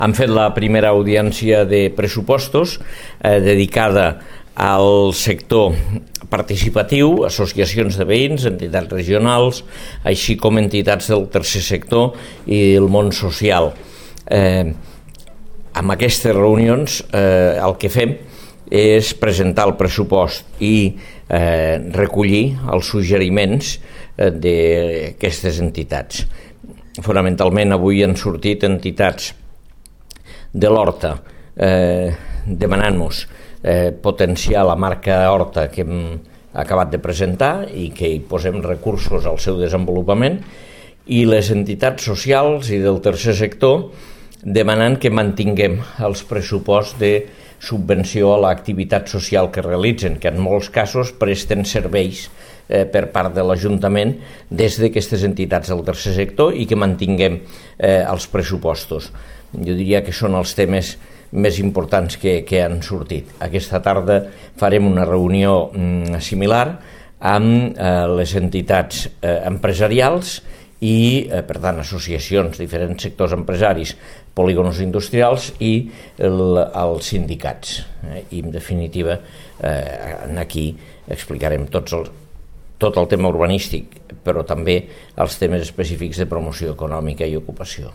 Han fet la primera audiència de pressupostos dedicada al sector participatiu, associacions de veïns, entitats regionals, així com entitats del tercer sector i el món social. Amb aquestes reunions el que fem és presentar el pressupost i recollir els suggeriments d'aquestes entitats. Fonamentalment avui han sortit entitats de l'Horta demanant-nos potenciar la marca Horta que hem acabat de presentar i que hi posem recursos al seu desenvolupament, i les entitats socials i del tercer sector demanant que mantinguem els pressuposts de subvenció a l'activitat social que realitzen, que en molts casos presten serveis per part de l'Ajuntament des d'aquestes entitats del tercer sector i que mantinguem els pressupostos. Jo diria que són els temes més importants que han sortit. Aquesta tarda farem una reunió similar amb les entitats empresarials i, per tant, associacions, diferents sectors empresaris, polígonos industrials i els sindicats. I, en definitiva, aquí explicarem tot el tema urbanístic, però també els temes específics de promoció econòmica i ocupació.